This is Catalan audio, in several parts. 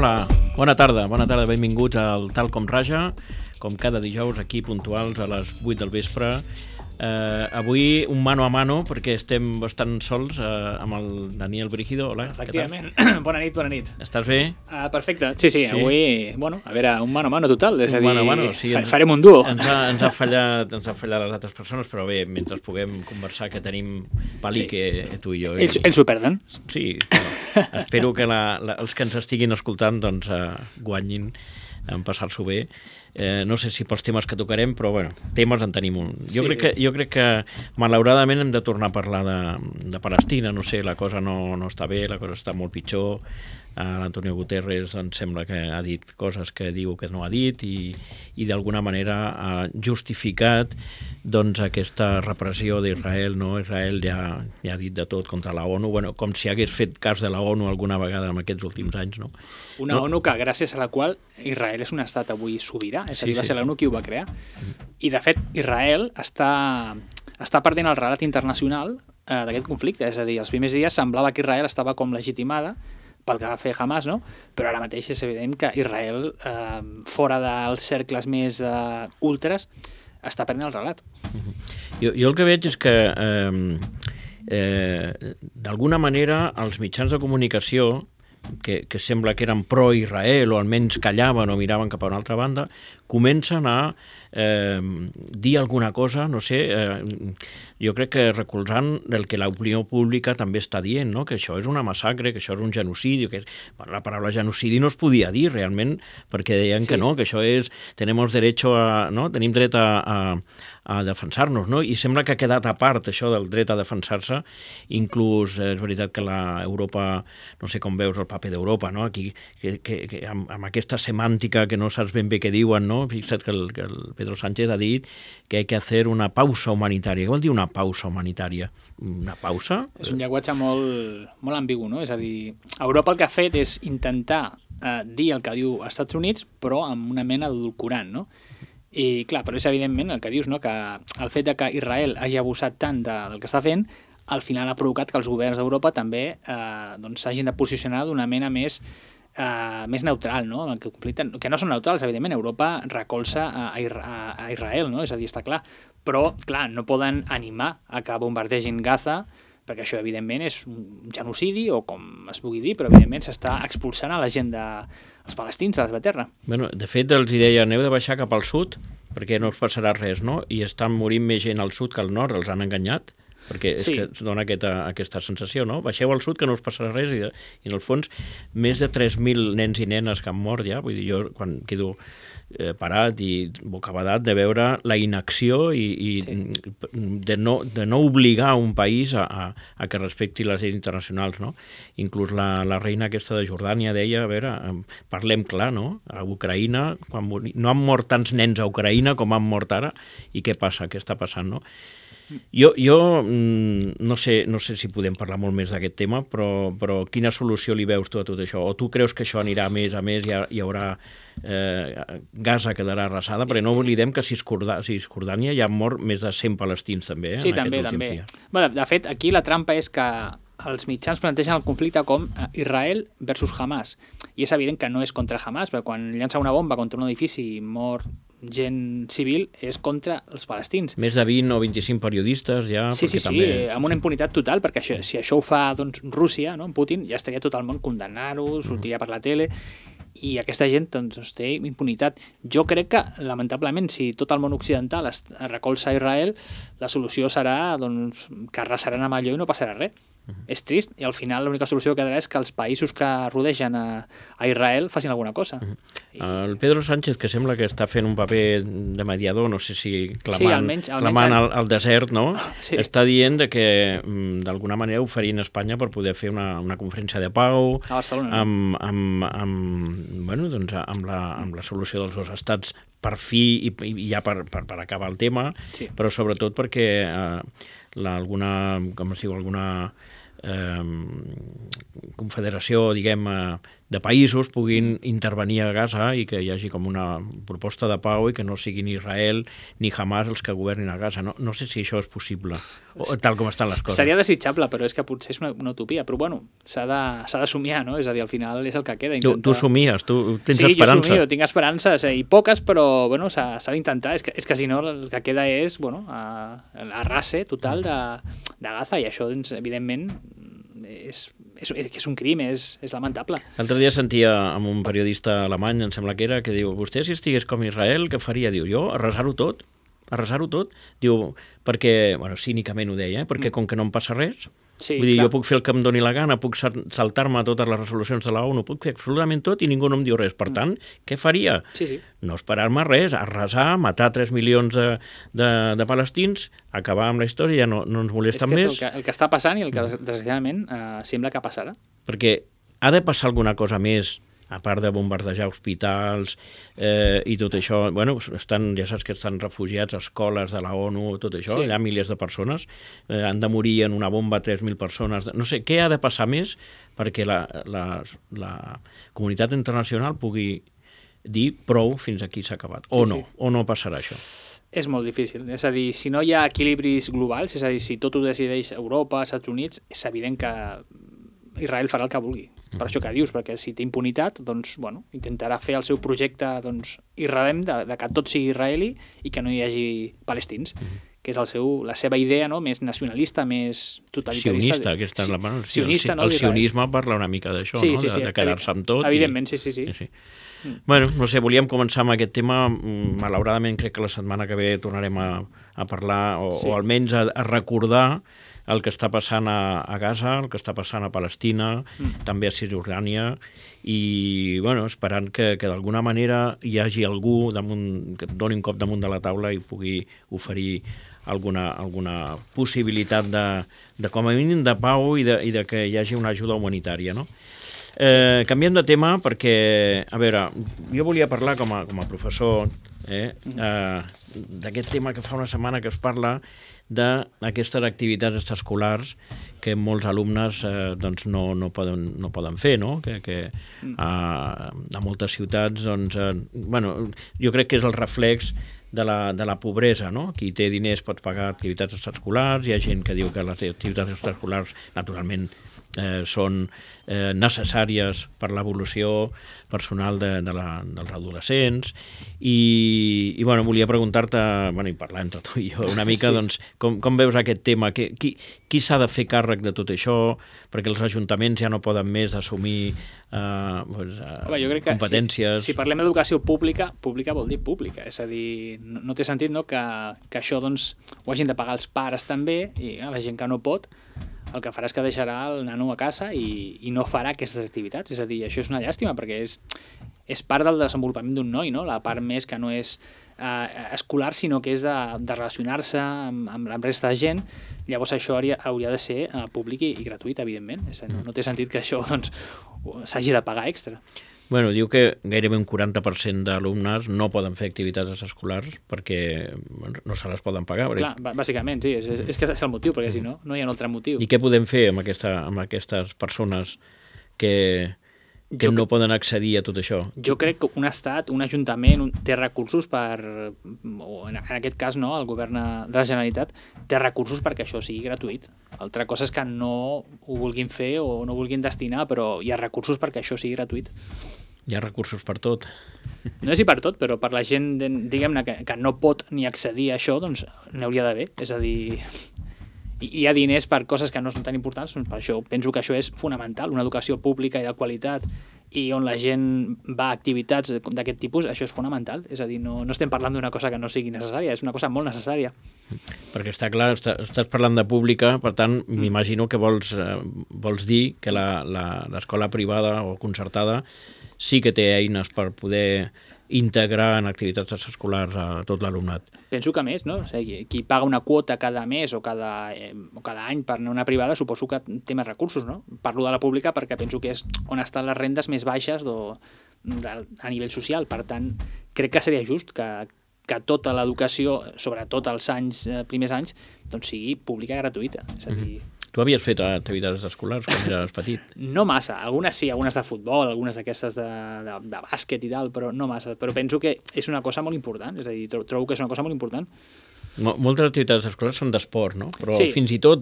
Hola, bona tarda, benvinguts al Tal com Raja, com cada dijous aquí puntuals a les 8 del vespre. Avui un mano a mano, perquè estem bastant sols amb el Daniel Brígido. Hola, efectivament. Bona nit. Estàs bé? Perfecte, sí. Avui, a veure, un mano a mano total, és a dir, mano a mano, sí, farem un duo. Ens ha fallat les altres persones, però bé, mentre puguem conversar, que tenim pali que tu i jo. Ells ho perden. Sí, bueno, espero que els que ens estiguin escoltant doncs, guanyin en passar-s'ho bé. No sé si pels temes que tocarem, però bueno, temes en tenim un. Jo crec que malauradament hem de tornar a parlar de Palestina, no sé, la cosa no està bé, la cosa està molt pitjor. L'Antonio Guterres ens sembla que ha dit coses que diu que no ha dit i d'alguna manera ha justificat doncs aquesta repressió d'Israel, no? Israel ja ha dit de tot contra la ONU, bueno, com si hagués fet cas de la ONU alguna vegada en aquests últims anys, no? ONU que gràcies a la qual Israel és un estat avui sobirà, és a dir, va ser l'ONU qui ho va crear. I de fet Israel està perdent el relat internacional d'aquest conflicte, és a dir, els primers dies semblava que Israel estava com legitimada pel que va fer Hamas, no? Però ara mateix és evident que Israel, fora dels cercles més ultres, està perdent el relat. Jo el que veig és que d'alguna manera els mitjans de comunicació que sembla que eren pro-Israel o almenys callaven o miraven cap a una altra banda, comencen a dir alguna cosa, no sé, jo crec que recolzant el que l'opinió pública també està dient, no? Que això és una massacre, que això és un genocidi, la paraula genocidi no es podia dir realment perquè deien que no, que això és, tenim dret a defensar-nos, no? I sembla que ha quedat a part això del dret a defensar-se, inclús és veritat que l'Europa, no sé com veus el paper d'Europa, no? Aquí, que amb aquesta semàntica que no saps ben bé què diuen, no? Fixa't que el Pedro Sánchez ha dit que hay que hacer una pausa humanitària. Què vol dir una pausa humanitària? Una pausa? És un llenguatge molt ambigu, no? És a dir, Europa el que ha fet és intentar dir el que diu als Estats Units, però amb una mena d'edulcorant, no? I clar, però és evidentment el que dius, no? Que el fet de que Israel hagi abusat tant del que està fent, al final ha provocat que els governs d'Europa també s'hagin de posicionar d'una mena més neutral, no? En el conflicte, que no són neutrals, evidentment, Europa recolza a Israel, no? És a dir, està clar. Però, clar, no poden animar a que bombardegin Gaza, perquè això, evidentment, és un genocidi, o com es pugui dir, però, evidentment, s'està expulsant a la gent dels palestins, a la seva terra. Bueno, de fet, els deia, aneu de baixar cap al sud, perquè no us passarà res, no? I estan morint més gent al sud que al nord, els han enganyat, perquè és que dona aquesta sensació, no? Baixeu al sud que no us passarà res, i en el fons, més de 3.000 nens i nenes que han mort ja, vull dir, jo quan quedo parat i bocabadat de veure la inacció i de no obligar un país a que respecti les lleis internacionals, no? Inclús la reina aquesta de Jordània deia, a veure, parlem clar, no? A Ucraïna, no han mort tants nens a Ucraïna com han mort ara, i què passa, què està passant, no? Jo no sé si podem parlar molt més d'aquest tema, però quina solució li veus tu a tot això? O tu creus que això anirà a més, hi haurà Gaza quedarà arrasada? Perquè no oblidem que a Cisjordània hi ha mort més de 100 palestins també, sí, també. Bueno, de fet, aquí la trampa és que els mitjans plantegen el conflicte com Israel versus Hamas, i és evident que no és contra Hamas, perquè quan llança una bomba contra un edifici i mor gent civil és contra els palestins. Més de 20 o 25 periodistes ja... Sí, amb una impunitat total, perquè si això ho fa Rússia, no, Putin, ja estaria tot el món condemnant-ho, sortiria per la tele, i aquesta gent té impunitat. Jo crec que, lamentablement, si tot el món occidental es recolza a Israel, la solució serà que arrasaran amb allò i no passarà res. És trist, i al final l'única solució que quedarà és que els països que rodegen a Israel facin alguna cosa. El Pedro Sánchez, que sembla que està fent un paper de mediador, no sé si clamant al desert, no? Sí. Està dient que d'alguna manera oferint a Espanya per poder fer una conferència de pau a Barcelona, amb la solució dels dos estats per fi i ja per acabar el tema, però sobretot perquè alguna confederació, diguem, països puguin intervenir a Gaza i que hi hagi com una proposta de pau i que no siguin Israel ni Hamas els que governin a Gaza. No sé si això és possible, tal com estan les coses. Seria desitjable, però és que potser és una utopia. Però bueno, s'ha de somiar, no? És a dir, al final és el que queda. Tu somies, tu tens Sí, esperança. jo somio, tinc esperances, i poques, però bueno, s'ha d'intentar. És que si no, el que queda és l'arrase total de Gaza, i això, doncs, evidentment, és un crim, és lamentable. L'altre dia sentia amb un periodista alemany, em sembla que era, que diu, vostè si estigués com Israel, què faria? Diu, jo, arrasar-ho tot. Diu, perquè, bueno, cínicament ho deia, perquè com que no em passa res, vull dir, jo puc fer el que em doni la gana, puc saltar-me totes les resolucions de la ONU, puc fer absolutament tot i ningú no em diu res. Per tant, què faria? No esperar-me res, arrasar, matar 3 milions de palestins, acabar amb la història, ja no ens molesten més. És el que està passant i el que, desgraciadament, sembla que passarà. Perquè ha de passar alguna cosa més, a part de bombardejar hospitals i tot això. Bueno, ja saps que estan refugiats a escoles de la ONU, tot això, allà milers de persones, han de morir en una bomba 3.000 persones. No sé, què ha de passar més perquè la comunitat internacional pugui dir prou, fins aquí s'ha acabat, o no passarà això? És molt difícil. És a dir, si no hi ha equilibris globals, és a dir, si tot ho decideix Europa, Estats Units, és evident que Israel farà el que vulgui. Per això que dius, perquè si té impunitat, doncs, bueno, intentarà fer el seu projecte irredem de que tot sigui israeli i que no hi hagi palestins, que és la seva idea, no?, més nacionalista, més totalitarista. Sionista, aquesta és la paraula. Sionista, no? El sionisme parla una mica d'això, no?, de quedar-se amb tot. Evidentment, sí. Bueno, no sé, volíem començar amb aquest tema. Malauradament crec que la setmana que ve tornarem a parlar, o almenys a recordar el que està passant a Gaza, el que està passant a Palestina, també a Cisjordània, i bueno, esperant que d'alguna manera hi hagi algú que et doni un cop damunt de la taula i pugui oferir alguna possibilitat de com a mínim de pau i de que hi hagi una ajuda humanitària, no? Canviem de tema perquè, a veure, jo volia parlar com a professor d'aquest tema que fa una setmana que es parla d'aquestes activitats extraescolars que molts alumnes doncs no poden fer, no? Que a moltes ciutats, doncs, bueno, jo crec que és el reflex de la pobresa, no? Qui té diners pot pagar activitats extraescolars, hi ha gent que diu que les activitats extraescolars, naturalment, són necessàries per l'evolució personal dels adolescents i bueno, volia preguntar-te, bueno, i parlar entre tu i jo una mica, doncs, com veus aquest tema? Qui s'ha de fer càrrec de tot això? Perquè els ajuntaments ja no poden més assumir competències. Si parlem d'educació pública vol dir pública, és a dir, no té sentit, no, que això, doncs, ho hagin de pagar els pares també, i la gent que no pot el que farà és que deixarà el nano a casa i no farà aquestes activitats. És a dir, això és una llàstima, perquè és part del desenvolupament d'un noi, no? La part més que no és escolar, sinó que és de relacionar-se amb la resta de gent. Llavors això hauria de ser públic i gratuït, evidentment. No té sentit que això, doncs, s'hagi de pagar extra. Bueno, diu que gairebé un 40% d'alumnes no poden fer activitats escolars perquè no se les poden pagar. Clar, bàsicament, sí, és que és el motiu, perquè si no hi ha un altre motiu. I què podem fer amb aquestes persones que no poden accedir a tot això? Jo crec que un estat, un ajuntament, té recursos o en aquest cas, no, el govern de la Generalitat té recursos perquè això sigui gratuït. Altra cosa és que no ho vulguin fer o no vulguin destinar, però hi ha recursos perquè això sigui gratuït. Hi ha recursos per tot. No sé si per tot, però per la gent, diguem-ne, que no pot ni accedir a això, doncs n'hi hauria d'haver. És a dir, hi ha diners per coses que no són tan importants, doncs per això penso que això és fonamental, una educació pública i de qualitat i on la gent va a activitats d'aquest tipus, això és fonamental. És a dir, no estem parlant d'una cosa que no sigui necessària, és una cosa molt necessària. Perquè està clar, estàs parlant de pública, per tant, m'imagino que vols dir que l'escola privada o concertada sí que té eines per poder integrar en activitats escolars a tot l'alumnat. Penso que més, no? O sigui, qui paga una quota cada mes o cada any per anar a una privada suposo que té més recursos, no? Parlo de la pública perquè penso que és on estan les rendes més baixes a nivell social. Per tant, crec que seria just que tota l'educació, sobretot els primers anys, doncs sigui pública i gratuïta. És a dir, Tu havies fet activitats escolars quan eres petit? No massa, algunes sí, algunes de futbol, algunes d'aquestes de bàsquet i tal, però no massa. Però penso que és una cosa molt important, és a dir, trobo que és una cosa molt important. Moltes activitats escolars són d'esport, no? Però sí. fins i tot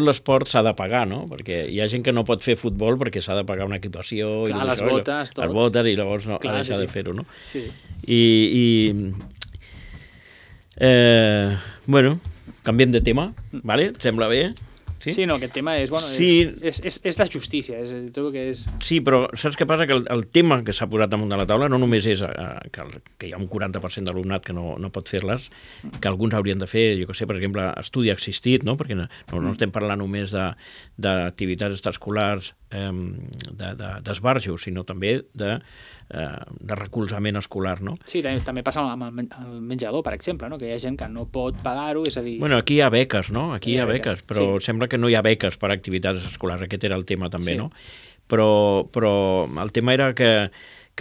l'esport s'ha de pagar, no? Perquè hi ha gent que no pot fer futbol perquè s'ha de pagar una equipació... Clar, i les botes, tot. Les botes, i llavors no, clar, ha deixat sí. de fer-ho, no? Sí. Bueno, canviem de tema, ¿vale? ¿Et sembla bé? Sí, no, aquest tema és, bueno, sí. és de justícia, trobo que és... Sí, però saps què passa? Que el tema que s'ha posat damunt de la taula no només és que hi ha un 40% d'alumnat que no pot fer-les, que alguns haurien de fer, jo que sé, per exemple, estudi assistit, no? Perquè no estem parlant només d'activitats extraescolars d'esbarjo, sinó també de recolzament escolar, no? Sí, també passa amb el menjador, per exemple, no? Que hi ha gent que no pot pagar-ho, és a dir... Bueno, aquí hi ha beques, no? Aquí hi ha beques, però sí. Sembla que no hi ha beques per a activitats escolars, aquest era el tema també, sí. no? Però el tema era que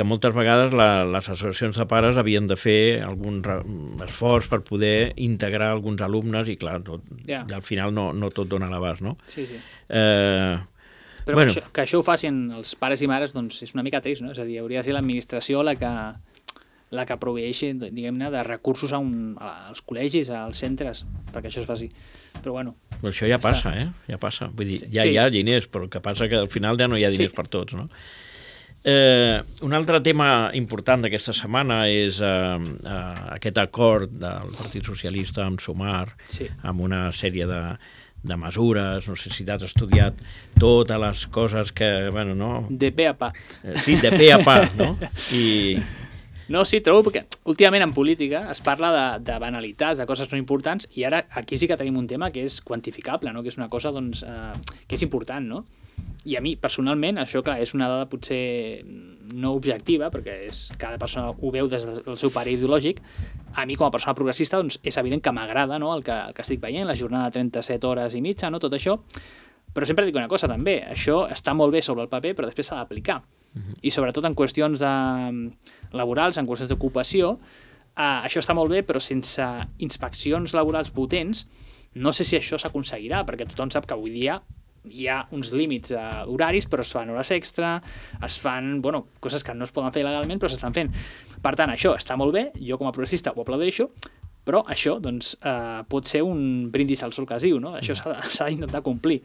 moltes vegades les associacions de pares havien de fer algun esforç per poder integrar alguns alumnes i, clar, i al final no tot dona l'abast, no? Sí. Però bueno. que això ho facin els pares i mares, doncs és una mica trist, no? És a dir, hauria de ser l'administració la que proveeixi, diguem-ne, de recursos als col·legis, als centres, perquè això es faci. Però bueno... Però això ja passa, Ja passa. Vull dir, ja hi ha diners, però el que passa que al final ja no hi ha diners per tots, no? Un altre tema important d'aquesta setmana és aquest acord del Partit Socialista amb Sumar, amb una sèrie de mesures, no sé si t'has estudiat totes les coses que, bueno, no... De pe a pa. Sí, de pe a pa, no? No, sí, trobo que últimament en política es parla de banalitats, de coses no importants, i ara aquí sí que tenim un tema que és quantificable, no? Que és una cosa doncs, que és important, no? I a mi, personalment, això, clar, és una dada potser no objectiva, perquè cada persona ho veu des del seu pare ideològic. A mi, com a persona progressista, doncs, és evident que m'agrada, no? el que estic veient, la jornada de 37 hores i mitja, no? Tot això. Però sempre dic una cosa, també. Això està molt bé sobre el paper, però després s'ha d'aplicar. I sobretot en qüestions laborals, en qüestions d'ocupació, això està molt bé, però sense inspeccions laborals potents, no sé si això s'aconseguirà, perquè tothom sap que avui dia hi ha uns límits horaris, però es fan hores extra, es fan, coses que no es poden fer legalment, però s'estan fent. Per tant, això està molt bé, jo com a progressista ho aplaudeixo, però això doncs, pot ser un brindis al sol que es diu, no? Això s'ha d'intentar complir.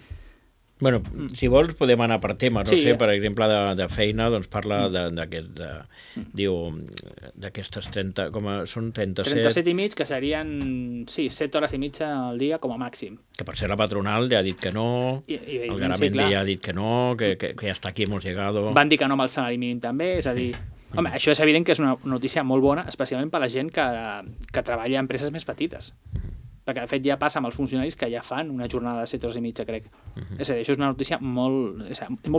Bueno, si vols podem anar per temes, no sé, per exemple de feina, doncs parla d'aquestes 30, són 37... 37 i mig, que serien, 7 hores i mitja al dia com a màxim. Que per ser la patronal ja ha dit que no, el Garamendi ja ha dit que no, que hasta aquí hemos llegado... Van dir que no amb el salari mínim també, és a dir... Home, això és evident que és una notícia molt bona, especialment per a la gent que treballa en empreses més petites. Perquè, de fet, ja passa amb els funcionaris que ja fan una jornada de 7 hores i mitja, crec. És a dir, això és una notícia molt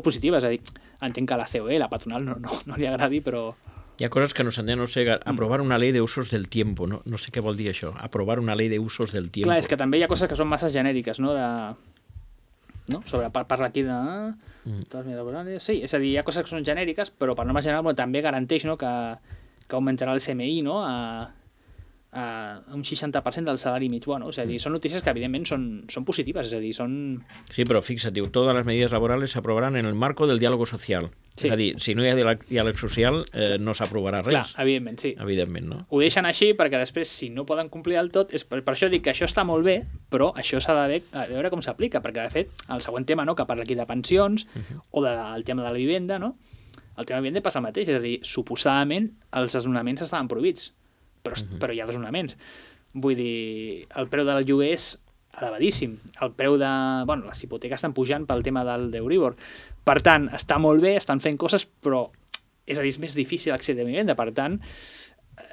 positiva, és a dir, entenc que a la COE, la patronal, no li agradi, però... Hi ha coses que no s'entenen, no sé, aprovar una llei de usos del tiempo, no sé què vol dir això, aprovar una llei de usos del tiempo. Clar, és que també hi ha coses que són massa genèriques, no? Sobre parla aquí de... Sí, és a dir, hi ha coses que són genèriques, però per norma general també garanteix que augmentarà el CMI, no?, un 60% del salari mig. És a dir, són notícies que evidentment són positives, és a dir, són... Sí, però fixa't, diu, todas las medidas laborales se aprobarán en el marco del diálogo social. Sí. És a dir, si no hi ha diàleg social, no s'aprovarà res. Clar, evidentment, sí. Evidentment, no? Ho deixen així perquè després, si no poden complir del tot, per això dic que això està molt bé, però això s'ha de veure com s'aplica, perquè, de fet, el següent tema, no?, que parla aquí de pensions, o del tema de la vivenda, no? El tema de vivenda passa el mateix, és a dir, suposadament els desnonaments estaven prohibits, però hi ha desnonaments. Vull dir, el preu del lloguer és elevadíssim. El preu de... les hipoteques estan pujant pel tema del d'Euribor. Per tant, està molt bé, estan fent coses, però és a dir, és més difícil accedir a vivenda. Per tant,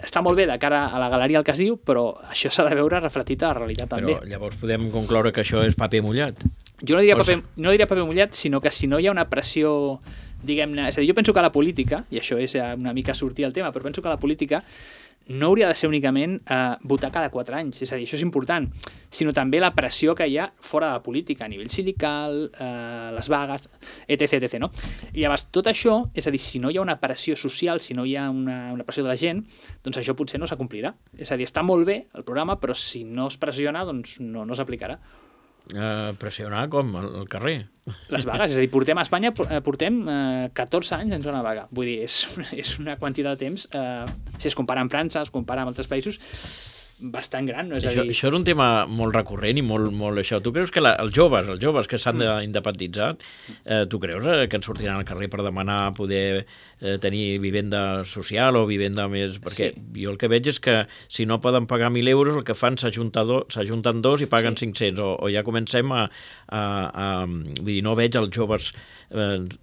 està molt bé de cara a la galeria el que es diu, però això s'ha de veure reflectit a la realitat també. Però llavors podem concloure que això és paper mullat? Jo no diria paper mullat, sinó que si no hi ha una pressió, diguem-ne... És a dir, jo penso que la política, i això és una mica sortir al tema, però penso que la política no hauria de ser únicament votar cada 4 anys, és a dir, això és important, sinó també la pressió que hi ha fora de la política, a nivell sindical, les vagues, etc. No? I llavors, tot això, és a dir, si no hi ha una pressió social, si no hi ha una pressió de la gent, doncs això potser no s'acomplirà. És a dir, està molt bé el programa, però si no es pressiona, doncs no s'aplicarà. Pressionar com? Al carrer? Les vagues, és a dir, portem a Espanya 14 anys en zona vaga. Vull dir, és una quantitat de temps, si es compara amb França, es compara amb altres països, bastant gran, no? És a dir... Això és un tema molt recurrent i molt això. Tu creus que els joves que s'han d'independitzar, tu creus que en sortiran al carrer per demanar poder tenir vivenda social o vivenda més... Perquè jo el que veig és que si no poden pagar 1.000 euros, el que fan s'ajunten dos i paguen 500, o ja comencem vull dir, no veig els joves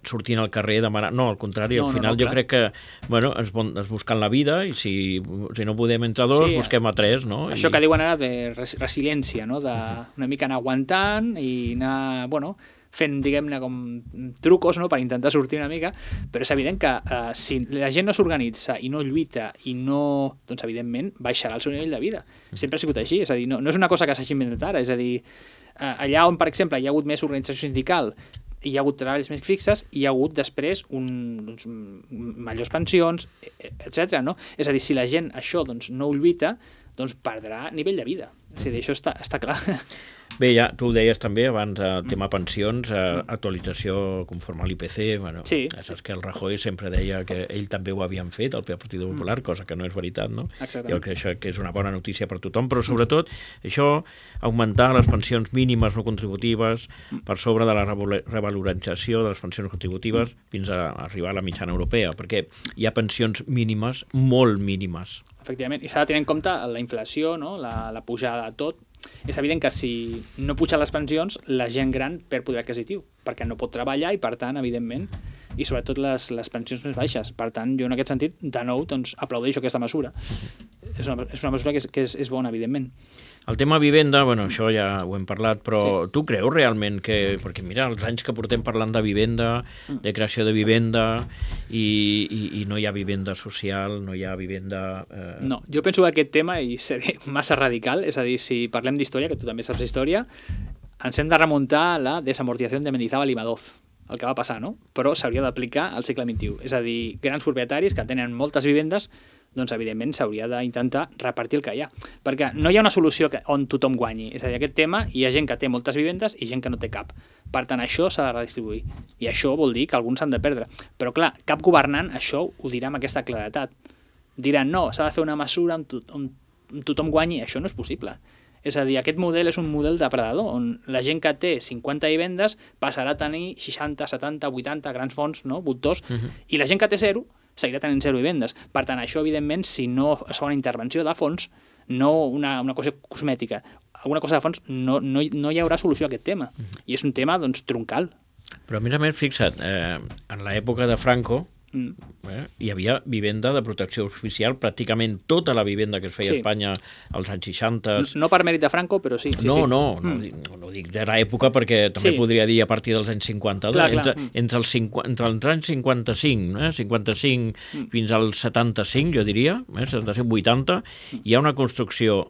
sortint al carrer demanant... No, al contrari, al final jo crec que es busquen la vida i si no podem entre dos, busquem a tres, no? Això que diuen ara de resiliència, no? Una mica anar aguantant i anar, fent, diguem-ne, com trucos, no?, per intentar sortir una mica, però és evident que si la gent no s'organitza i no lluita i no... doncs, evidentment, baixarà el seu nivell de vida. Sempre ha sigut així, és a dir, no és una cosa que s'hagi inventat ara, és a dir, allà on, per exemple, hi ha hagut més organització sindical, hi ha hagut treballs més fixes, hi ha hagut després millors pensions, etc. No? És a dir, si la gent això no ho lluita, doncs perdrà nivell de vida. És a dir, això està clar. Bé, ja tu ho deies també abans, el tema pensions, actualització conforme a l'IPC, saps que el Rajoy sempre deia que ell també ho havien fet, el Partit Popular, cosa que no és veritat, no? Exactament. Jo crec que això és una bona notícia per tothom, però sobretot això, augmentar les pensions mínimes no contributives per sobre de la revalorització de les pensions contributives fins a arribar a la mitjana europea, perquè hi ha pensions mínimes, molt mínimes. Efectivament, i s'ha de tenir en compte la inflació, no? La pujada de tot. És evident que si no pugen les pensions, la gent gran perd poder adquisitiu, perquè no pot treballar i, per tant, evidentment, i sobretot les pensions més baixes. Per tant, jo en aquest sentit, de nou, doncs, aplaudeixo aquesta mesura. És una mesura que és bona, evidentment. El tema vivenda, això ja ho hem parlat, però tu creus realment que... Perquè mira, els anys que portem parlant de vivenda, de creació de vivenda, i no hi ha vivenda social, no hi ha vivenda... No, jo penso que aquest tema seré massa radical, és a dir, si parlem d'història, que tu també saps d'història, ens hem de remuntar a la desamortització de Mendizábal i Madoz, el que va passar, no? Però s'hauria d'aplicar al segle XXI. És a dir, grans propietaris que tenen moltes vivendes, doncs evidentment s'hauria d'intentar repartir el que hi ha. Perquè no hi ha una solució on tothom guanyi. És a dir, aquest tema hi ha gent que té moltes vivendes i gent que no té cap. Per tant, això s'ha de redistribuir. I això vol dir que alguns s'han de perdre. Però clar, cap governant això ho dirà amb aquesta claretat. Diran, no, s'ha de fer una mesura on tothom guanyi. Això no és possible. És a dir, aquest model és un model depredador, on la gent que té 50 vivendes passarà a tenir 60, 70, 80 grans fons, no? Voltors, i la gent que té 0 seguirà tenint 0 vivendes. Per tant, això, evidentment, si no es fa una intervenció de fons, no una cosa cosmètica, alguna cosa de fons, no hi haurà solució a aquest tema. I és un tema, doncs, troncal. Però, a més, fixa't, en l'època de Franco, hi havia vivenda de protecció oficial, pràcticament tota la vivenda que es feia a Espanya als anys 60. No per mèrit de Franco, però sí. No dic de l'època perquè també podria dir a partir dels anys 50. Entre els anys 55, 55 fins als 75, jo diria, 75-80, hi ha una construcció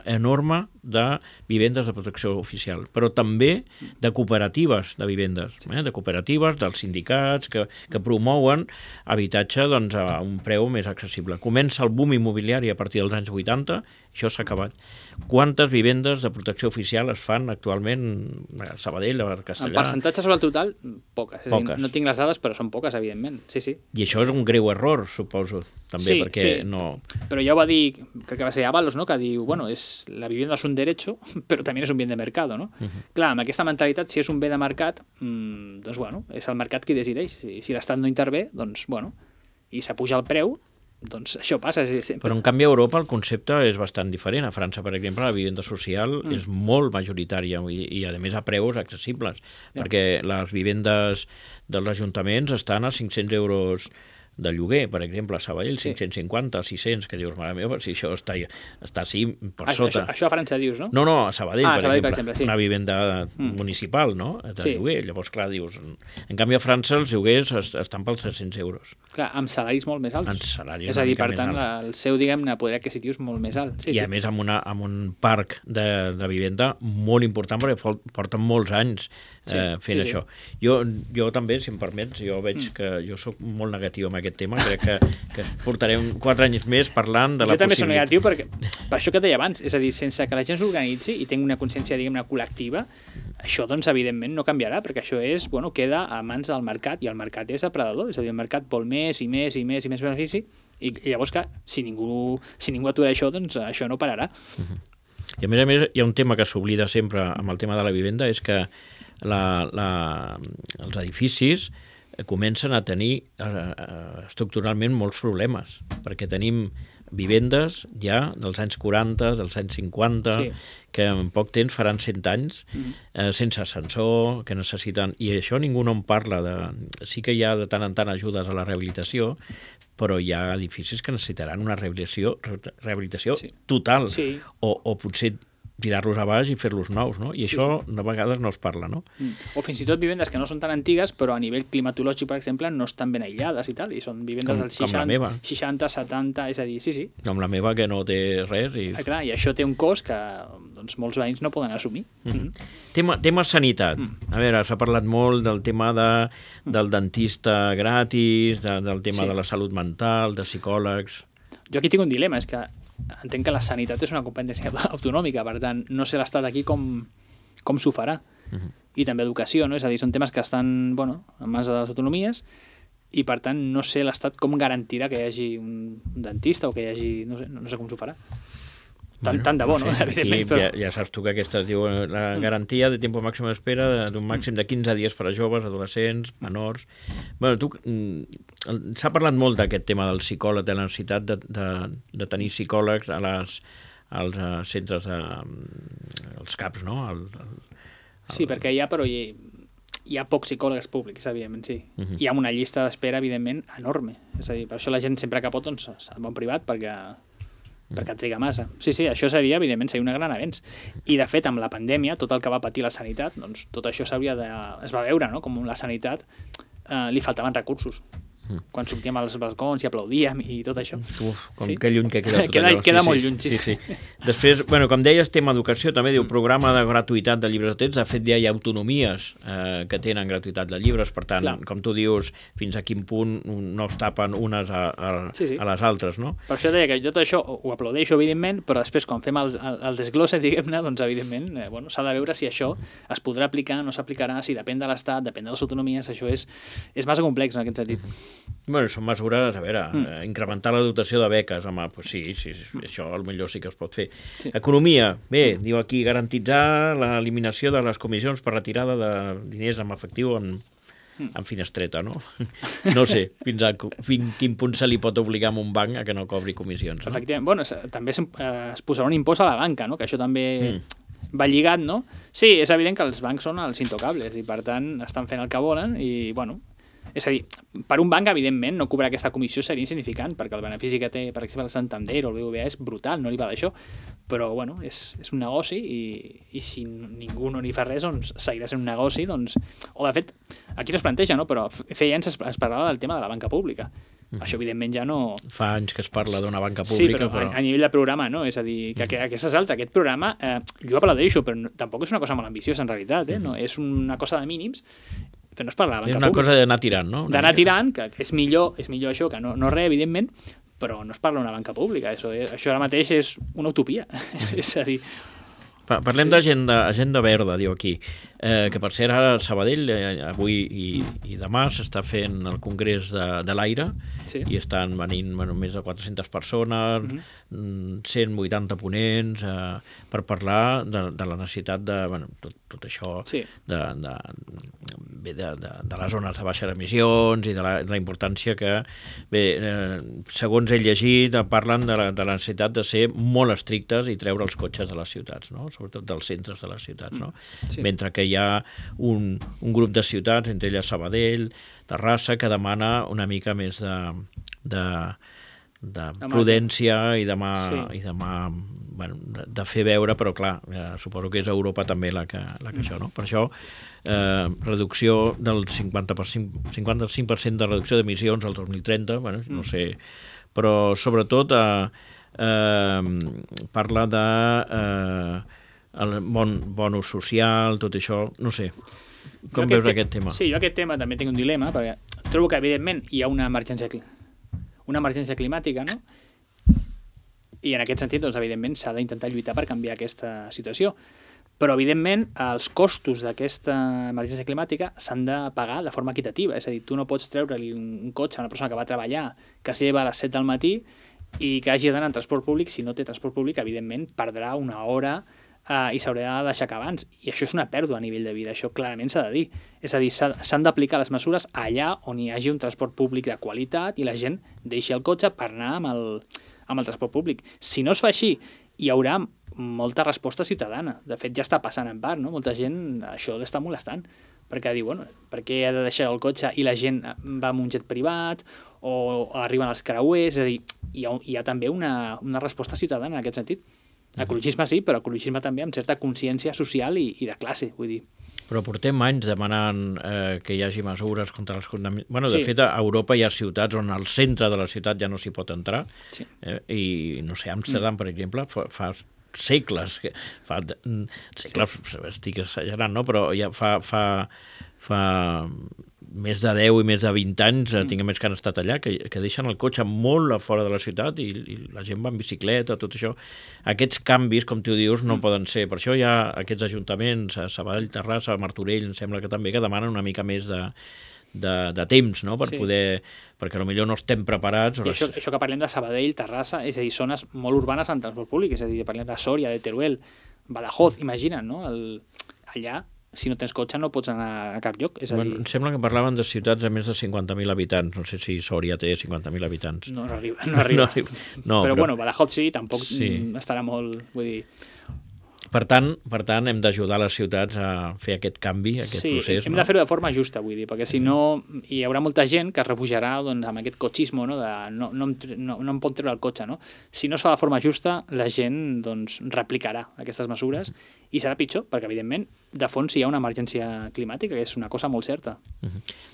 enorme de vivendes de protecció oficial, però també de cooperatives de vivendes, de cooperatives, dels sindicats que promouen habitatge a un preu més accessible. Comença el boom immobiliari a partir dels anys 80, això s'ha acabat. Quantes vivendes de protecció oficial es fan actualment a Sabadell, a Castellà? En percentatge sobre el total, poques. Dir, no tinc les dades, però són poques, evidentment. Sí. I això és un greu error, suposo, també, perquè no... Però ja ho va dir, que va ser Avalos, no? Que diu, la vivienda és un derecho, però també és un bien de mercado, no? Clar, amb aquesta mentalitat, si és un bé de mercat, doncs, és el mercat qui decideix. Si l'Estat no intervé, doncs, i s'apuja el preu, doncs això passa sempre. Però en canvi a Europa el concepte és bastant diferent. A França, per exemple, la vivenda social és molt majoritària i a més a preus accessibles, perquè les vivendes dels ajuntaments estan a 500 euros de lloguer, per exemple, a Sabadell, 550, 600, que dius, mare meva, si això està així per sota. Això a França dius, no? No, a Sabadell, per exemple, una vivenda municipal, no?, de lloguer. Llavors, clar, dius... En canvi, a França els lloguers estan pels 300 euros. Clar, amb salaris molt més alts. Amb salaris és a dir, per tant, el seu, diguem-ne, poder adquisitiu és molt més alt. I a més, amb un parc de vivenda molt important, perquè porten molts anys fent això. Jo també, si em permets, jo veig que jo soc molt negatiu amb aquest tema. Crec que portarem 4 anys més parlant de la possibilitat. Jo també soc negatiu per això que et deia abans, és a dir, sense que la gent s'organitzi i tingui una consciència, diguem-ne, col·lectiva, això, doncs, evidentment, no canviarà, perquè això és, bueno, queda a mans del mercat, i el mercat és depredador, és a dir, el mercat vol més i més i més i més benefici, i llavors que si ningú atura això, doncs això no pararà. I a més, hi ha un tema que s'oblida sempre amb el tema de la vivenda, és que els edificis comencen a tenir estructuralment molts problemes, perquè tenim vivendes ja dels anys 40, dels anys 50, que en poc temps faran 100 anys, sense ascensor, que necessiten... I això ningú no en parla. Sí que hi ha de tant en tant ajudes a la rehabilitació, però hi ha edificis que necessitaran una rehabilitació total, o potser tirar-los a baix i fer-los nous, no? I això de vegades no es parla, no? O fins i tot vivendes que no són tan antigues, però a nivell climatològic, per exemple, no estan ben aïllades i tal, i són vivendes dels 60, 70, és a dir, sí. Com la meva, que no té res. Clar, i això té un cost que doncs, molts veïns no poden assumir. Tema sanitat. A veure, s'ha parlat molt del tema del dentista gratis, del tema de la salut mental, de psicòlegs... Jo aquí tinc un dilema, és que entenc que la sanitat és una competència autonòmica, per tant, no sé l'Estat aquí com s'ho farà. I també educació, no? És a dir, són temes que estan, en mans de les autonomies, i per tant no sé l'Estat com garantirà que hi hagi un dentista o que hi hagi... No sé com s'ho farà. Tant de bo, no? Ja saps tu que aquesta es diu la garantia de temps màxim d'espera d'un màxim de 15 dies per a joves, adolescents, menors... S'ha parlat molt d'aquest tema del psicòleg, de la necessitat de tenir psicòlegs als centres, als CAPs, no? Sí, perquè hi ha pocs psicòlegs públics, evidentment, sí. Hi ha una llista d'espera, evidentment, enorme. És a dir, per això la gent sempre que pot se'n va a un privat, perquè triga massa. Sí, això seria, evidentment, un gran avenç. I, de fet, amb la pandèmia, tot el que va patir la sanitat, doncs tot això es va veure, no?, com la sanitat li faltaven recursos. Quan sortíem als balcons i aplaudíem i tot això. Que lluny que queda tot allò. Queda molt lluny, sí. Després, com deies, tema educació, també diu programa de gratuïtat de llibres de text. De fet, ja hi ha autonomies que tenen gratuïtat de llibres, per tant, com tu dius, fins a quin punt no es tapen unes a les altres, no? Per això deia que jo tot això ho aplaudeixo, evidentment, però després, quan fem el desglosse, diguem-ne, doncs, evidentment, s'ha de veure si això es podrà aplicar, no s'aplicarà, si depèn de l'Estat, depèn de les autonomies, això és massa complex en aquest sentit. Són mesures, a veure, incrementar la dotació de beques, home, doncs sí, això potser sí que es pot fer. Economia, bé, diu aquí, garantitzar l'eliminació de les comissions per retirada de diners en efectiu en finestreta, no? No sé, fins quin punt se li pot obligar a un banc a que no cobri comissions, no? Efectivament, també es posarà un impost a la banca, no? Que això també va lligat, no? Sí, és evident que els bancs són els intocables i, per tant, estan fent el que volen i, és a dir, per un banc, evidentment, no cobrar aquesta comissió seria insignificant, perquè el benefici que té, per exemple, el Santander o el BBVA és brutal, no li va d'això, però, és un negoci i si ningú no n'hi fa res, doncs seguirà sent un negoci, doncs... O, de fet, aquí no es planteja, no?, però feia anys es parlava del tema de la banca pública. Això, evidentment, ja no... Fa anys que es parla d'una banca pública, però... Sí, però a nivell de programa, no? És a dir, que aquesta és altra. Aquest programa, jo aplaudeixo, però tampoc és una cosa molt ambiciosa, en realitat, no? És una cosa de mínims, però no es parla de banca pública. És una cosa d'anar tirant, no? D'anar tirant, que és millor això que no res, evidentment, però no es parla d'una banca pública. Això ara mateix és una utopia. És a dir... Parlem d'agenda verda, diu aquí, que per cert ara a Sabadell avui i demà s'està fent el Congrés de l'Aire i estan venint més de 400 persones, 180 ponents per parlar de la necessitat de tot això, de les zones de baixes emissions i de la importància que, segons he llegit, parlen de la necessitat de ser molt estrictes i treure els cotxes de les ciutats, no? Sobretot dels centres de les ciutats, no? Mentre que hi ha un grup de ciutats, entre elles Sabadell, Terrassa, que demana una mica més de prudència i de fer veure, però clar, suposo que és Europa també la que això, no? Per això, reducció del 55% de reducció d'emissions al 2030, no sé, però sobretot parla de el bon ús social, tot això, no sé. Com veus aquest tema? Sí, jo aquest tema també tinc un dilema, perquè trobo que, evidentment, hi ha una emergència climàtica. una emergència climàtica, no? I en aquest sentit, doncs, evidentment, s'ha d'intentar lluitar per canviar aquesta situació. Però, evidentment, els costos d'aquesta emergència climàtica s'han de pagar de forma equitativa. És a dir, tu no pots treure-li un cotxe a una persona que va a treballar, que s'hi lleva a les 7 del matí i que hagi d'anar en transport públic. Si no té transport públic, evidentment, perdrà una hora i s'haurà d'aixecar abans. I això és una pèrdua a nivell de vida. Això clarament s'ha de dir. És a dir, s'han d'aplicar les mesures allà on hi hagi un transport públic de qualitat i la gent deixi el cotxe per anar amb el transport públic. Si no es fa així, hi haurà molta resposta ciutadana. De fet, ja està passant en part, no? Molta gent això l'està molestant, perquè diu, bueno, per què ha de deixar el cotxe i la gent va amb un jet privat o arriben els creuers? És a dir, hi ha també una resposta ciutadana en aquest sentit. Ecologisme sí, però ecologisme també amb certa consciència social i de classe, vull dir. Però portem anys demanant que hi hagi mesures contra les contaminacions. Bueno, de fet, a Europa hi ha ciutats on al centre de la ciutat ja no s'hi pot entrar. Sí. I, no sé, Amsterdam, per exemple, fa segles, estic exagerant, no? Però ja fa més de 10 i més de 20 anys, tinc més que han estat allà, que deixen el cotxe molt a fora de la ciutat i la gent va en bicicleta, tot això. Aquests canvis, com tu dius, no poden ser. Per això hi ha aquests ajuntaments, a Sabadell, Terrassa, Martorell, em sembla que també, que demanen una mica més de temps, no? Per poder, perquè potser no estem preparats. I això que parlem de Sabadell, Terrassa, és a dir, zones molt urbanes en transport públic, és a dir, parlem de Sòria, de Teruel, Badajoz, imagina't, no? Allà, si no tens cotxe, no pots anar a cap lloc. És a dir... Em sembla que parlaven de ciutats de més de 50.000 habitants, no sé si Sòria té 50.000 habitants. No arriba. Però bueno, Badajoz sí, tampoc estarà molt, vull dir... Per tant, hem d'ajudar les ciutats a fer aquest canvi, aquest procés. Sí, hem de fer-ho de forma justa, vull dir, perquè si no hi haurà molta gent que es refugiarà doncs, amb aquest cotxisme, no? No em pot treure el cotxe. No? Si no es fa de forma justa, la gent doncs, replicarà aquestes mesures i serà pitjor, perquè evidentment de fons hi ha una emergència climàtica, que és una cosa molt certa.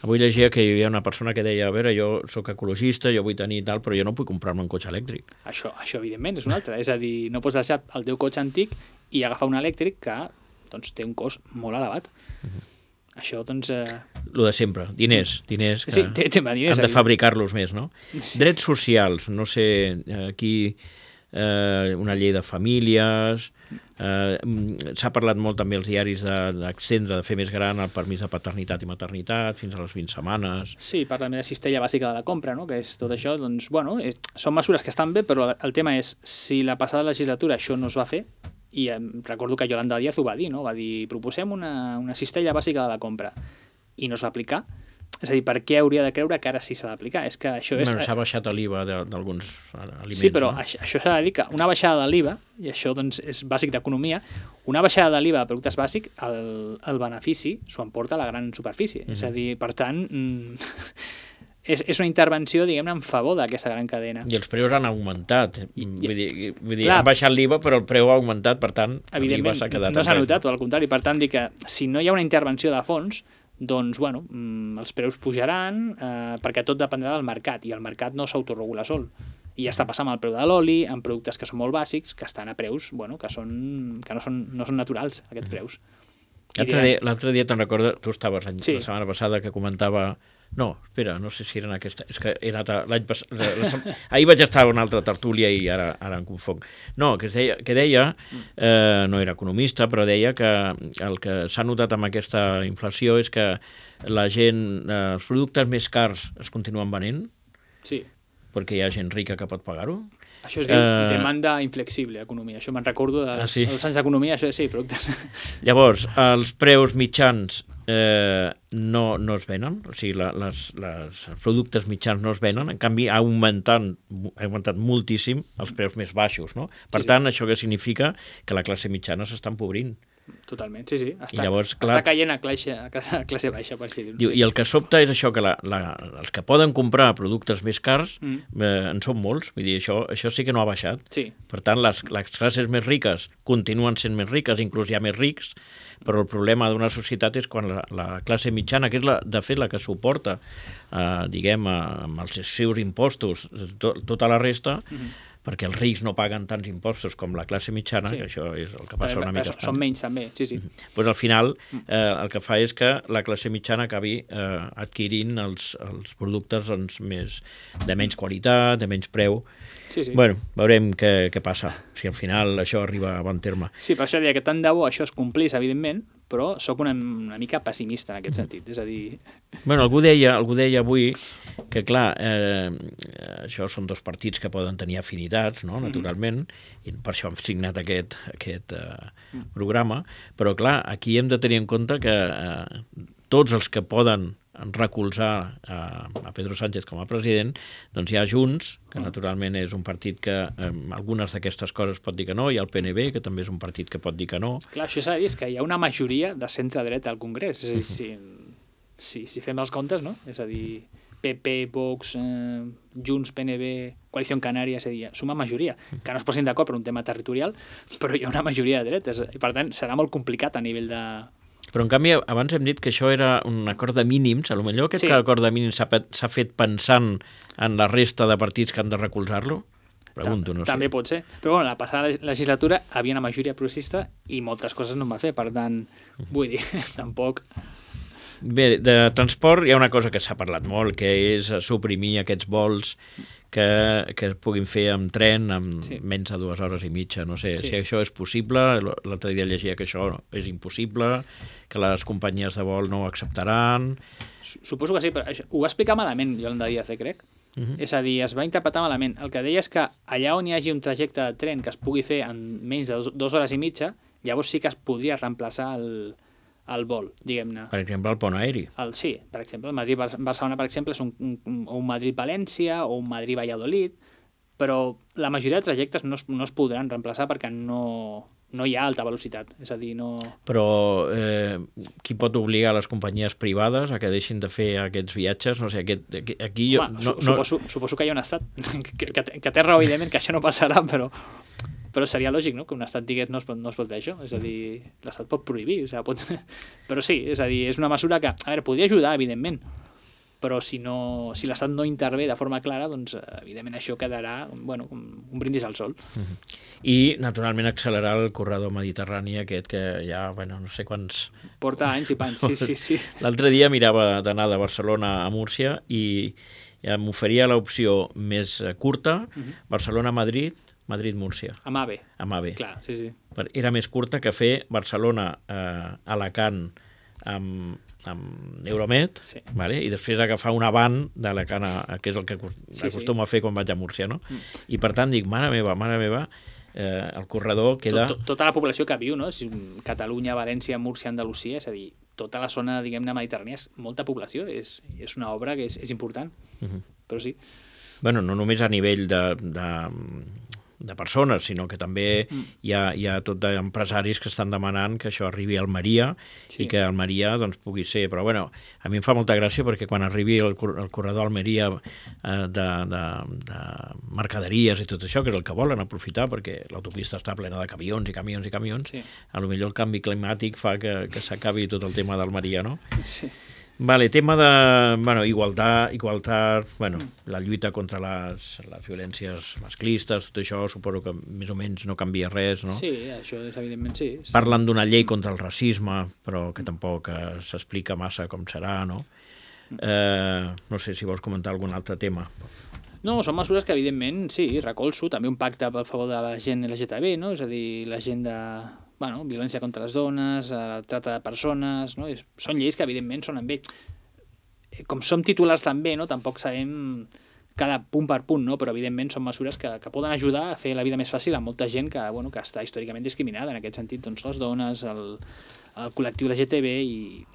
Avui llegia que hi havia una persona que deia, a veure, jo sóc ecologista, jo vull tenir tal, però jo no puc comprar-me un cotxe elèctric. Això evidentment, és una altra. És a dir, no pots deixar el teu cotxe antic i agafar un elèctric que doncs, té un cost molt elevat. Això, doncs... Lo de sempre, diners que sí, diners, han de fabricar-los més, no? Sí. Drets socials, no sé, aquí una llei de famílies, s'ha parlat molt també als diaris d'extendre, de fer més gran el permís de paternitat i maternitat fins a les 20 setmanes. Sí, parla de cistella bàsica de la compra, no? Que és tot això, doncs, bueno, són mesures que estan bé, però el tema és, si la passada legislatura això no es va fer, i recordo que Yolanda Díaz ho va dir, no? Va dir, proposem una cistella bàsica de la compra, i no es va aplicar. És a dir, per què hauria de creure que ara sí s'ha d'aplicar? És que això és... Bueno, s'ha baixat l'IVA d'alguns aliments. Sí, però no? Això s'ha de dir que una baixada de l'IVA, i això doncs, és bàsic d'economia, una baixada de l'IVA de productes bàsics, el benefici s'ho emporta a la gran superfície. És a dir, per tant... És una intervenció, diguem-ne, en favor d'aquesta gran cadena. I els preus han augmentat. Vull dir han baixat l'IVA, però el preu ha augmentat, per tant, l'IVA s'ha quedat... No s'ha notat, al contrari. Per tant, dir que si no hi ha una intervenció de fons, doncs, bueno, els preus pujaran, perquè tot dependrà del mercat, i el mercat no s'autoregula sol. I ja està passant amb el preu de l'oli, amb productes que són molt bàsics, que estan a preus, bueno, que no són naturals, aquests preus. L'altre dia te'n recordes, tu estaves la setmana passada que comentava... No, espera, no sé si era en aquesta... És que he anat l'any passat... Ahir vaig estar a una altra tertúlia i ara em confonc. No, que deia, no era economista, però deia que el que s'ha notat amb aquesta inflació és que la gent, els productes més cars es continuen venent, sí, perquè hi ha gent rica que pot pagar-ho. Això es diu demanda inflexible, economia. Això me'n recordo dels anys d'economia, això sí, productes. Llavors, els preus mitjans no es venen, o sigui, els productes mitjans no es venen, en canvi ha augmentat moltíssim els preus més baixos, no? Per tant, això què significa? Que la classe mitjana s'està empobrint. Totalment, sí. Està caient a classe baixa, per així dir-ho. I el que sobta és això, que els que poden comprar productes més cars en són molts, vull dir, això sí que no ha baixat. Sí. Per tant, les classes més riques continuen sent més riques, inclús hi ha més rics, però el problema d'una societat és quan la classe mitjana, que és de fet la que suporta, diguem, amb els seus impostos, tota la resta, perquè els rics no paguen tants impostos com la classe mitjana, que això és el que passa una mica a Espanya. Són menys també, sí. Pues al final el que fa és que la classe mitjana acabi adquirint els productes doncs, de menys qualitat, de menys preu. Sí. Bueno, veurem què passa, si al final això arriba a bon terme. Sí, per això deia que tant de bo això es complís, evidentment, però sóc una mica pessimista en aquest sentit, és a dir... Bueno, algú deia avui que, clar, això són dos partits que poden tenir afinitats, no?, naturalment, i per això hem signat aquest programa, però, clar, aquí hem de tenir en compte que tots els que poden recolzar a Pedro Sánchez com a president, doncs hi ha Junts, que naturalment és un partit que algunes d'aquestes coses pot dir que no, hi ha el PNB, que també és un partit que pot dir que no. Clar, això s'ha de dir, és que hi ha una majoria de centre-dret al Congrés, és a dir, si fem els comptes, no? És a dir, PP, Vox, Junts, PNB, Coalició Canària, és a dir, suma majoria, que no es posin d'acord per un tema territorial, però hi ha una majoria de dretes, i per tant serà molt complicat a nivell de... Però, en canvi, abans hem dit que això era un acord de mínims. Potser aquest acord de mínims s'ha fet pensant en la resta de partits que han de recolzar-lo? Pregunto, no sé. També pot ser. Però, bueno, la passada legislatura havia una majoria progressista i moltes coses no en va fer. Per tant, vull dir, tampoc... Bé, de transport hi ha una cosa que s'ha parlat molt, que és suprimir aquests vols que es puguin fer amb tren amb menys de 2 hores i mitja. No sé si això és possible. L'altre dia llegia que això és impossible, que les companyies de vol no ho acceptaran. Suposo que sí, però ho va explicar malament Yolanda Díaz, crec. És a dir, es va interpretar malament. El que deia és que allà on hi hagi un trajecte de tren que es pugui fer en menys de 2 hores i mitja, llavors sí que es podria reemplaçar el vol, diguem-ne. Per exemple, el pont aeri. Sí, per exemple, el Madrid-Barcelona, per exemple, és un Madrid-València o un Madrid-Valladolid, però la majoria de trajectes no es podran reemplaçar perquè no hi ha alta velocitat, és a dir, no... Però qui pot obligar les companyies privades a que deixin de fer aquests viatges? No sé, aquí jo... Suposo que hi ha un estat que té raó, evidentment, que això no passarà, però seria lògic, no?, que un estat digués no es pot fer això, és a dir, l'estat pot prohibir, però sí, és a dir, és una mesura que, a veure, podria ajudar, evidentment, però si l'estat no intervé de forma clara, doncs, evidentment, això quedarà, bueno, un brindis al sol. I, naturalment, accelerar el corredor mediterrani aquest que ja, bueno, no sé quants... Porta anys i pans, sí. L'altre dia mirava d'anar de Barcelona a Múrcia i m'oferia l'opció més curta, Barcelona-Madrid, Madrid-Múrcia. Amb AVE. Amb AVE. Clar, sí. Era més curta que fer Barcelona-Alacant amb Euromed, vale? I després agafar una van d'Alacant, que és el que acostumo a fer quan vaig a Múrcia, no? I per tant dic, mare meva, el corredor queda... Tota la població que viu, no? Catalunya, València, Múrcia, Andalusia, és a dir, tota la zona, diguem-ne, mediterrània és molta població, és una obra que és important, però sí. Bueno, no només a nivell de persones, sinó que també hi ha tot d'empresaris que estan demanant que això arribi a Almeria i que Almeria doncs, pugui ser... Però bueno, a mi em fa molta gràcia perquè quan arribi el corredor Almeria de mercaderies i tot això, que és el que volen aprofitar perquè l'autopista està plena de camions i camions, a lo millor el canvi climàtic fa que s'acabi tot el tema d'Almeria, no? Sí. Vale, tema de igualtat, la lluita contra les violències masclistes, tot això suposo que més o menys no canvia res, no? Sí, això és evidentment sí. Parlen d'una llei contra el racisme, però que tampoc s'explica massa com serà, no? No sé si vols comentar algun altre tema. No, són mesures que evidentment, sí, recolzo, també un pacte a favor de la gent LGTB, no? És a dir, la gent de... violència contra les dones, la trata de persones, no? Són lleis que evidentment sonen bé. Com som titulars també, no? Tampoc sabem cada punt per punt, no? Però evidentment són mesures que poden ajudar a fer la vida més fàcil a molta gent que està històricament discriminada, en aquest sentit, doncs les dones, el col·lectiu LGTB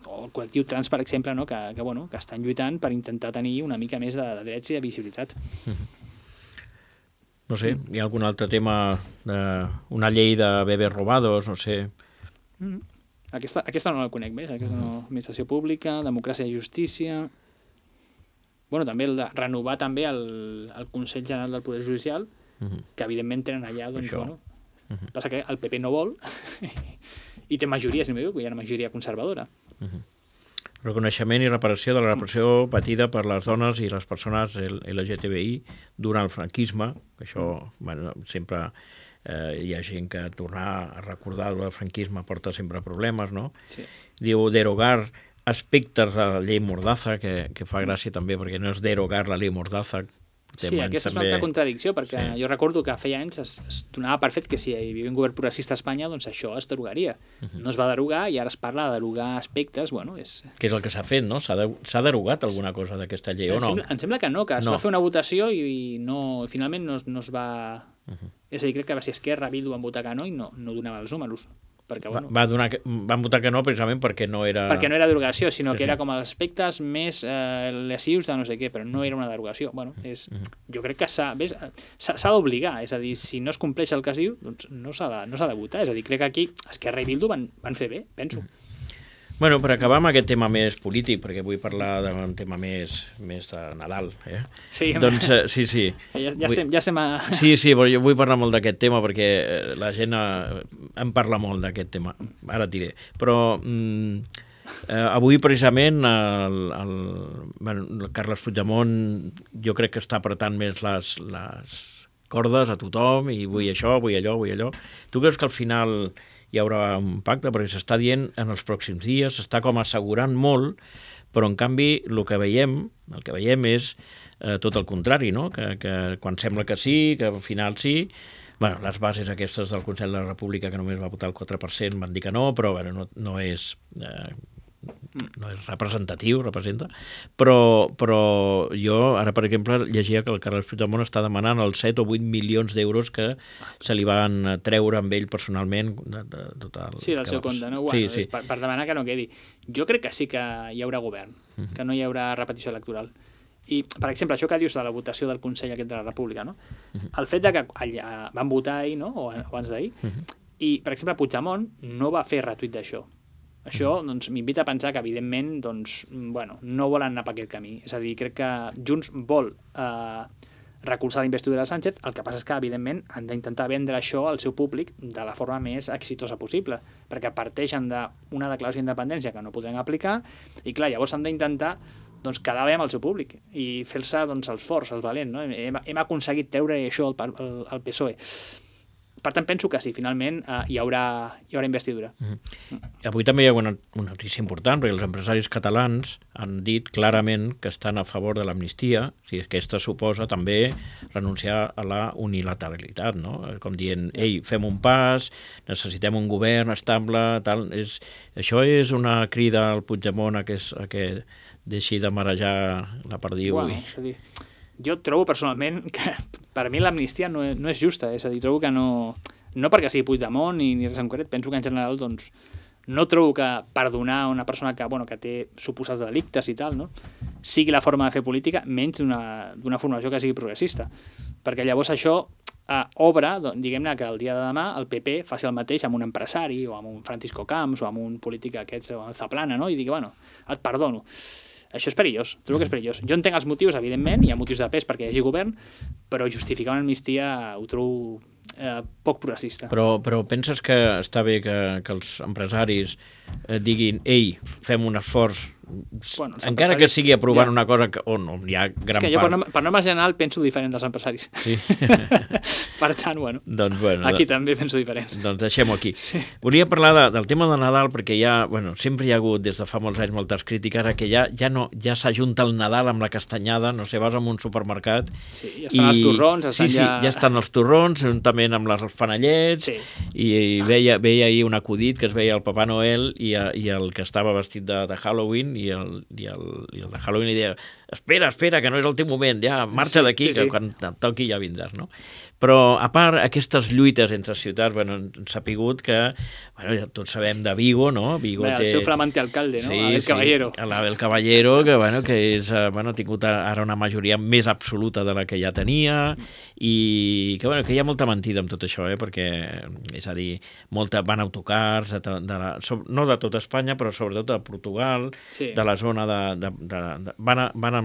o el col·lectiu trans, per exemple, no? que estan lluitant per intentar tenir una mica més de drets i de visibilitat. No sé, hi ha algun altre tema, una llei de bebès robados, no sé. Aquesta no la conec més, aquesta no. Administració pública, democràcia i justícia... també el de renovar també el Consell General del Poder Judicial, que evidentment tenen allà, doncs, passa que el PP no vol i té majoria, si no m'equivoco, hi ha una majoria conservadora. Reconeixement i reparació de la repressió patida per les dones i les persones LGTBI durant el franquisme. Això, bueno, sempre hi ha gent que tornar a recordar el franquisme porta sempre problemes, no? Sí. Diu derogar aspectes de la llei Mordaza, que fa gràcia també, perquè no és derogar la llei Mordaza. Sí, aquesta és una altra contradicció, perquè jo recordo que feia anys es donava per fet que si hi havia un govern progressista a Espanya, doncs això es derogaria. No es va derogar i ara es parla de derogar aspectes, bueno, és... Que és el que s'ha fet, no? S'ha derogat alguna cosa d'aquesta llei, o no? Em sembla que no, que es va fer una votació i finalment no es va... És a dir, crec que va ser Esquerra, Bildu van votar que no i no donava els números. Perquè, bueno, van votar que no precisament perquè no era... Perquè no era derogació, sinó que era com els aspectes més lesius de no sé què, però no era una derogació. Bueno, jo crec que s'ha d'obligar, és a dir, si no es compleix el que es diu, doncs no s'ha de votar. És a dir, crec que aquí Esquerra i Bildu van fer bé, penso. Bueno, per acabar amb aquest tema més polític, perquè vull parlar d'un tema més de Nadal, Sí, doncs, sí. Ja estem a... Sí, però jo vull parlar molt d'aquest tema perquè la gent en parla molt d'aquest tema, ara et diré. Però avui precisament el Carles Puigdemont jo crec que està apretant més les cordes a tothom i vull això, vull allò. Tu creus que al final hi haurà un pacte? Perquè s'està dient en els pròxims dies, s'està com assegurant molt, però en canvi el que veiem és tot el contrari, no? Que quan sembla que sí, que al final sí, bueno, les bases aquestes del Consell de la República que només va votar el 4% van dir que no, però bueno, no és representatiu, però jo ara, per exemple, llegia que el Carles Puigdemont està demanant els 7 o 8 milions d'euros que se li van treure amb ell personalment de tot el... Sí, del seu compte, no? Bueno, sí. Per demanar que no quedi. Jo crec que sí que hi haurà govern, que no hi haurà repetició electoral. I, per exemple, això que dius de la votació del Consell aquest de la República, no? El fet de que allà van votar ahir, no? O abans d'ahir, i, per exemple, Puigdemont no va fer retuit d'això. Això doncs, m'invita a pensar que, evidentment, doncs, bueno, no volen anar per aquest camí. És a dir, crec que Junts vol recolzar la investidura de Sánchez, el que passa és que, evidentment, han d'intentar vendre això al seu públic de la forma més exitosa possible, perquè parteixen d'una declaració d'independència que no podran aplicar i, clar, llavors han d'intentar doncs, quedar bé amb el seu públic i fer-se doncs, els forts, els valents. No? Hem aconseguit treure això al PSOE. Per tant, penso que sí, finalment hi haurà investidura. Avui també hi ha una notícia important, perquè els empresaris catalans han dit clarament que estan a favor de l'amnistia, si aquesta suposa també renunciar a la unilateralitat, no? Com dient, ei, fem un pas, necessitem un govern estable, tal. Això és una crida al Puigdemont a que deixi de marejar la perdiu. Bueno, és a dir, jo trobo personalment que per mi l'amnistia no és justa, és a dir, trobo que no perquè sigui Puigdemont ni res en concret, penso que en general doncs, no trobo que perdonar una persona que té suposats delictes i tal, no? Sigui la forma de fer política, menys d'una formació que sigui progressista, perquè llavors això obre, diguem-ne que el dia de demà el PP faci el mateix amb un empresari o amb un Francisco Camps o amb un polític aquests, o amb Zaplana, no? I digui, bueno, et perdono. Això és perillós, trobo que és perillós. Jo entenc els motius, evidentment, hi ha motius de pes perquè hi hagi govern, però justificar una amnistia ho trobo poc progressista. Però penses que està bé que els empresaris diguin, ei, fem un esforç, encara que sigui aprovant una cosa on hi ha gran part... És que jo per norma general penso diferent dels empresaris. Sí. Per tant, doncs, aquí també penso diferent. Doncs deixem-ho aquí. Sí. Volia parlar del tema de Nadal perquè sempre hi ha hagut des de fa molts anys moltes crítiques que ja s'ajunta el Nadal amb la castanyada, no sé, vas a un supermercat... Sí, ja estan els torrons. Ja estan els torrons, juntament amb els panellets, i veia ahir un acudit que es veia el Papà Noel i el que estava vestit de Halloween i el de Halloween li deia espera, que no és el teu moment, ja marxa d'aquí, que quan et toqui ja vindràs, no? Però, a part, aquestes lluites entre ciutats, hem sapigut que, ja tots sabem de Vigo, no? Vigo el seu flamante alcalde, no? Abel Caballero. Abel Caballero, que ha tingut ara una majoria més absoluta de la que ja tenia, i que hi ha molta mentida amb tot això, perquè, és a dir, van autocars, no de tota Espanya, però sobretot de Portugal, de la zona van amb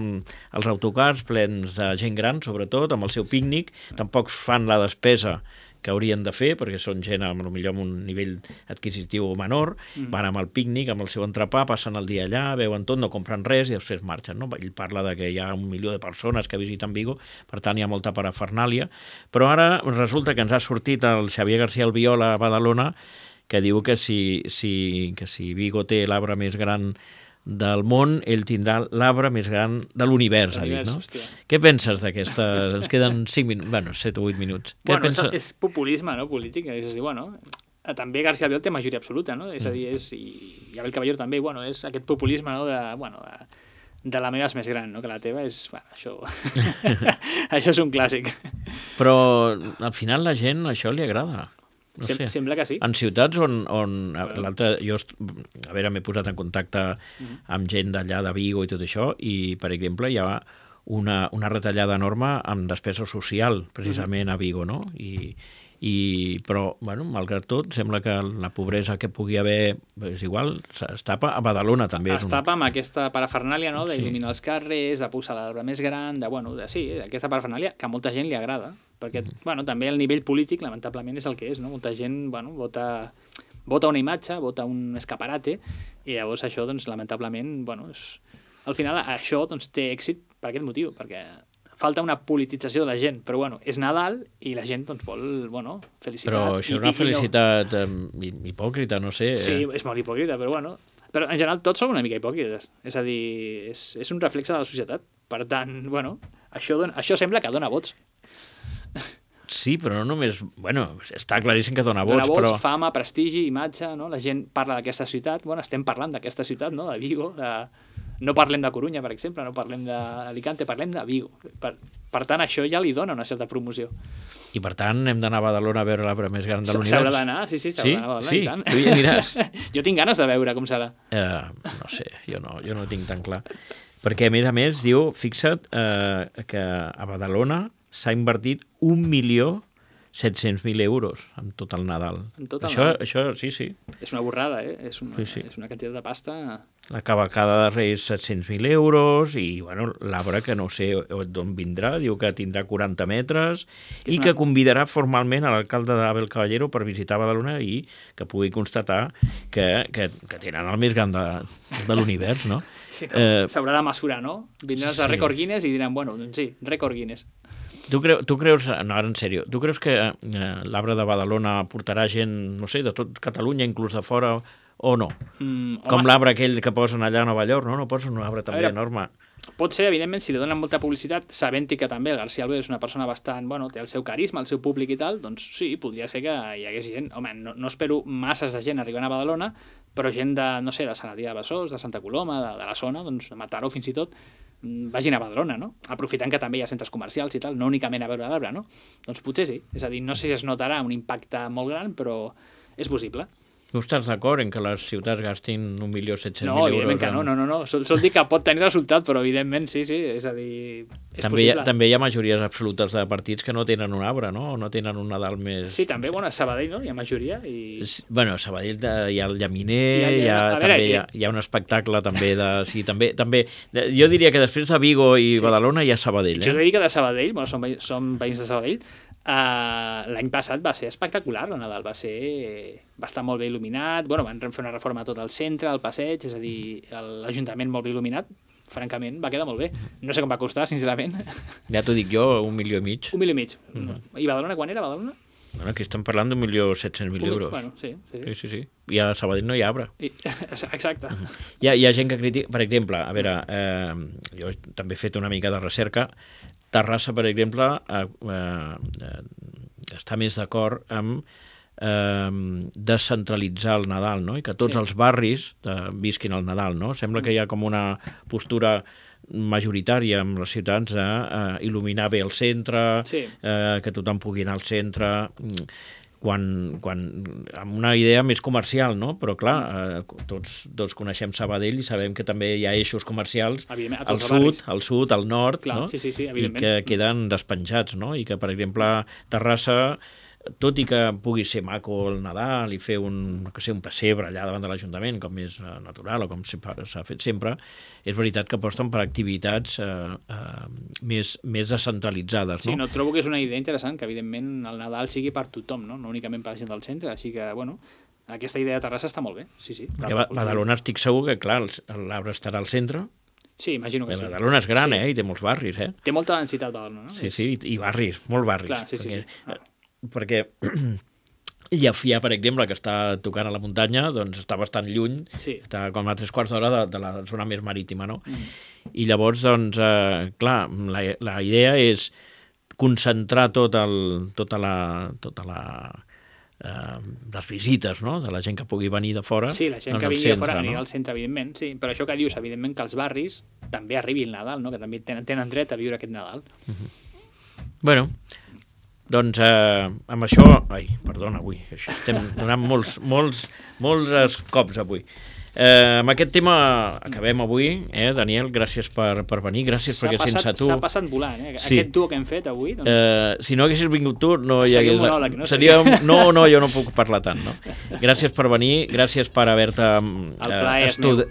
els autocars plens de gent gran, sobretot, amb el seu pícnic, tampoc fan la despesa que haurien de fer, perquè són gent potser amb un nivell adquisitiu menor, van amb el pícnic, amb el seu entrepà, passen el dia allà, veuen tot, no compren res i després marxen. No? Ell parla de que hi ha 1 milió de persones que visiten Vigo, per tant hi ha molta parafernàlia, però ara resulta que ens ha sortit el Xavier García Albiol a Badalona, que diu que si Vigo té l'arbre més gran del món, ell tindrà l'arbre més gran de l'univers, ha dit, no? Hòstia. Què penses d'aquesta... Ens queden 5 minuts, bueno, 7 o 8 minuts. És populisme, no?, polític. És a dir, també García Albiol té majoria absoluta, no? És a dir, i Abel Caballero també, és aquest populisme, no?, de la meva és més gran, no?, que la teva és... això... això és un clàssic. Però al final la gent això li agrada. No sé. Sembla que sí. En ciutats on l'altre... Jo, m'he posat en contacte amb gent d'allà de Vigo i tot això, i, per exemple, hi ha una retallada enorme amb despesa social, precisament a Vigo, no? Però, malgrat tot, sembla que la pobresa que pugui haver és igual, es tapa a Badalona també. Es tapa amb aquesta parafernàlia, no?, d'il·luminar els carrers, de posar l'arbre més gran, sí, aquesta parafernàlia que a molta gent li agrada, perquè, també el nivell polític, lamentablement, és el que és, no? Molta gent, vota una imatge, vota un escaparate, i llavors això, lamentablement, al final això, té èxit per aquest motiu, perquè falta una politització de la gent, però és Nadal i la gent vol, felicitat. Però això és una felicitat hipòcrita, no sé. Sí, és molt hipòcrita, però però en general tots som una mica hipòcrites. És a dir, és un reflex de la societat. Per tant, això sembla que dona vots. Sí, però no només... està claríssim que dona vots, dona vots, però... fama, prestigi, imatge, no? La gent parla d'aquesta ciutat, estem parlant d'aquesta ciutat, no?, de Vigo, no parlem de Corunya, per exemple, no parlem d'Alicante, parlem de Vigo. Per tant, això ja li dona una certa promoció. I per tant, hem d'anar a Badalona a veure l'arbre més gran de l'univers? S'haurà d'anar, sí, s'haurà d'anar a Badalona, i tant. Tu hi aniràs? Jo tinc ganes de veure com serà. No sé, jo no tinc tan clar. Perquè, a més, diu, fixa't, que a Badalona s'ha invertit 1.700.000 euros en tot el Nadal. Això, sí. És una borrada, És una quantitat de pasta... La cavalcada de Reis, 700.000 euros, i, l'arbre que no sé d'on vindrà, diu que tindrà 40 metres, i que convidarà formalment a l'alcalde d'Abel Caballero per visitar Badalona i que pugui constatar que tenen el més gran de l'univers, no? Sí, s'haurà de mesurar, no? Vindran els Record Guinness i diran, sí, Record Guinness. Tu creus, no, ara en sèrio, tu creus que l'arbre de Badalona portarà gent, no sé, de tot Catalunya, inclús de fora, o no? Com l'arbre aquell que posen allà a Nova York, no? No posen un arbre també enorme. Pot ser, evidentment, si li donen molta publicitat, sabent-hi que també el García Albiol és una persona bastant, té el seu carisma, el seu públic i tal, doncs sí, podria ser que hi hagués gent. Home, no espero masses de gent arribant a Badalona, però gent de, no sé, de Sant Adrià de Besòs, de Santa Coloma, de la zona, doncs de Mataró fins i tot, vagin a Badalona, no? Aprofitant que també hi ha centres comercials i tal, no únicament a veure l'arbre, no? Doncs potser sí. És a dir, no sé si es notarà un impacte molt gran, però és possible. Tu estàs d'acord en que les ciutats gastin 1.700.000 euros? No, evidentment que no. Sol dir que pot tenir resultat, però evidentment sí, és a dir, és possible. També hi ha majories absolutes de partits que no tenen un arbre, no? O no tenen un Nadal més... Sí, també, a Sabadell, no? Hi ha majoria i... A Sabadell hi ha el llaminer, hi ha un espectacle també de... Sí, també. Jo diria que després de Vigo i Badalona hi ha Sabadell. Jo diria que de Sabadell, som veïns de Sabadell, l'any passat va ser espectacular, el Nadal va estar molt bé il·luminat, van fer una reforma a tot el centre, al passeig, és a dir, l'Ajuntament molt bé il·luminat, francament, va quedar molt bé. No sé com va costar, sincerament. Ja t'ho dic jo, 1,5 milions. 1,5 milions. I Badalona, quan era Badalona? Aquí estem parlant d'1.700.000 euros. Sí. I a Sabadell no hi ha arbre. Exacte. Hi ha gent que critica... Per exemple, a veure, jo també he fet una mica de recerca. Terrassa, per exemple, està més d'acord amb descentralitzar el Nadal, no? I que tots els barris visquin el Nadal, no? Sembla que hi ha com una postura majoritària amb els ciutadans d'il·luminar bé el centre, que tothom pugui anar al centre, amb una idea més comercial, no? Però clar, tots coneixem Sabadell i sabem que també hi ha eixos comercials al sud, al nord, no? Sí, I que queden despenjats, no? I que, per exemple, Terrassa tot i que pugui ser maco el Nadal i fer un pessebre allà davant de l'Ajuntament, com és natural o com s'ha fet sempre, és veritat que aposten per activitats més descentralitzades. Sí, trobo que és una idea interessant que, evidentment, el Nadal sigui per tothom, no únicament per la gent del centre, així que, bueno, aquesta idea de Terrassa està molt bé, sí. Perquè Badalona estic segur que, clar, l'arbre estarà al centre. Sí, imagino que sí. Badalona és gran, i té molts barris, Té molta densitat, Badalona, no? Sí, i barris, molts barris. Clar, sí. Perquè Llefià, per exemple, que està tocant a la muntanya, doncs està bastant lluny, està com a 3/4 d'hora de la zona més marítima, no? I llavors, doncs, clar, la idea és concentrar les visites, no?, de la gent que pugui venir de fora. Sí, la gent que vingui de fora anirà al centre, evidentment, sí, però això que dius, evidentment, que els barris també arribi el Nadal, no?, que també tenen dret a viure aquest Nadal. Bueno, doncs amb això... Ai, perdona, avui estem donant molts cops avui. Amb aquest tema acabem avui, Daniel, gràcies per venir, gràcies perquè sense tu... S'ha passat volant, Aquest duo que hem fet avui... Si no haguessis vingut tu, no hi hagués... monòleg, no? No, jo no puc parlar tant, no? Gràcies per venir, gràcies per haver-te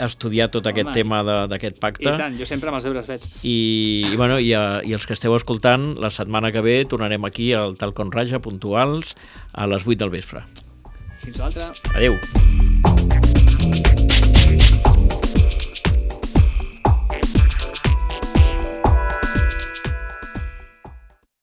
estudiat tot aquest tema d'aquest pacte. I tant, jo sempre amb els deures fets. I els que esteu escoltant, la setmana que ve tornarem aquí al Tal com Raja, puntuals, a les 8 del vespre. Fins l'altra. Adéu.